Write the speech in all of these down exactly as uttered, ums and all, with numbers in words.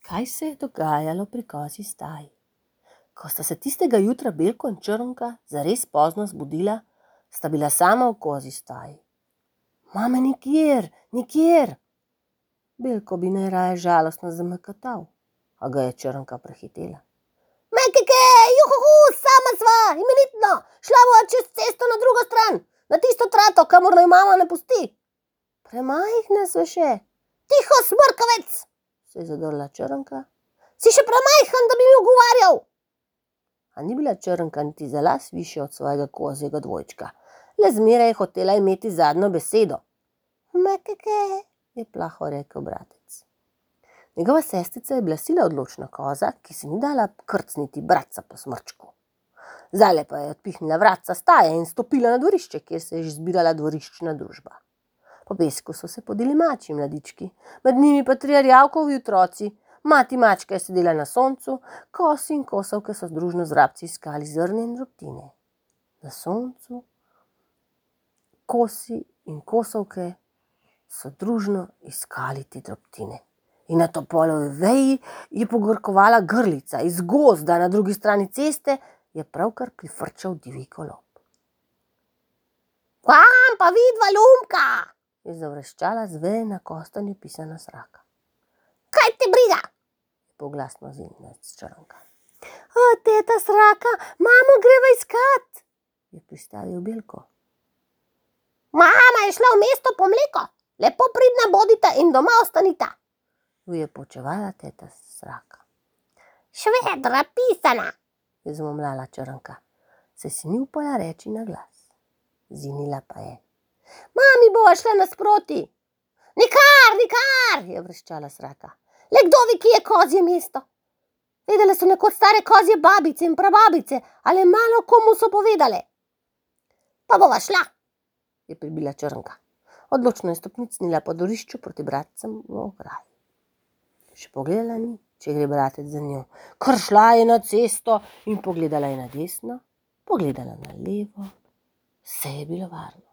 Kaj se je dogajalo pri kozji staji? Ko sta se tistega jutra Belko in Črnka zares pozno zbudila, sta bila sama v kozji staji. Mame nikjer, nikjer! Belko bi najraje žalostno zameketal, a ga je Črnka prehitela. Mekeke, juhuhu, sama sva, imenitno, šla bova čez cesto na drugo stran, na tisto trato, kamor naj mama ne pusti. Premajhne so še. Tiho, smrkavec, se je zadrla Črnka. Si še premajhen, da bi mi ugovarjal. A ni bila Črnka niti za las višja od svojega kozjega dvojčka, le zmeraj je hotela imeti zadnjo besedo. Mekeke, je plaho rekel bratec. Njegova sestrica je bila sila odločna koza, ki se ni dala krcniti bratca po smrčku. Zdajle pa je odpihnila vratca staje in stopila na dvorišče, kjer se je že zbirala dvoriščna družba. Po pesku so se podili mačji mladički, med njimi pa tri rjavkovi otroci. Mati mačka je sedela na soncu, kosi in kosovke so združno z vrabci iskali zrne in drobtine. Na soncu, kosi in kosovke so družno iskali te drobtine. In na topolovi veji je pogorkovala grlica, iz gozda na drugi strani ceste je pravkar prifrčal divji golob. Kam pa vidva, Lumka, je zavreščala z veje na kostanju pisana sraka. Kaj te briga? Je poglasno zinila Črnka. O, teta sraka, mamo greva iskat, je pristavil Belko. Mama je šla v mesto po mleko, lepo pridna bodita in doma ostanita, jo je počevala teta sraka. Švedra pisana, je zmomljala Črnka, se si ni upala reči na glas. Zinila pa je. Mami bova šla nasproti. Nikar, nikar, je vreščala sraka. Le kdo ve, ki je kozje mesto? Vedele so nekoč stare kozje babice in prababice, ali malo komu so povedale. Pa bova šla, je pribila Črnka. Odločno je stopnicnila po dvorišču proti bratcem v ograji. Še pogledala ni, če gre bratec za njo. Kar šla je na cesto in pogledala je na desno, pogledala na levo. Vse je bilo varno.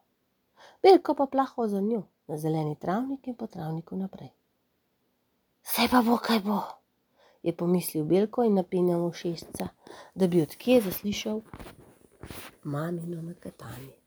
Belko pa plahal za njo, na zeleni travnik in po travniku naprej. Saj pa bo, kaj bo, je pomislil Belko in napenjal ušesca, da bi od kje zaslišal mamino meketanje.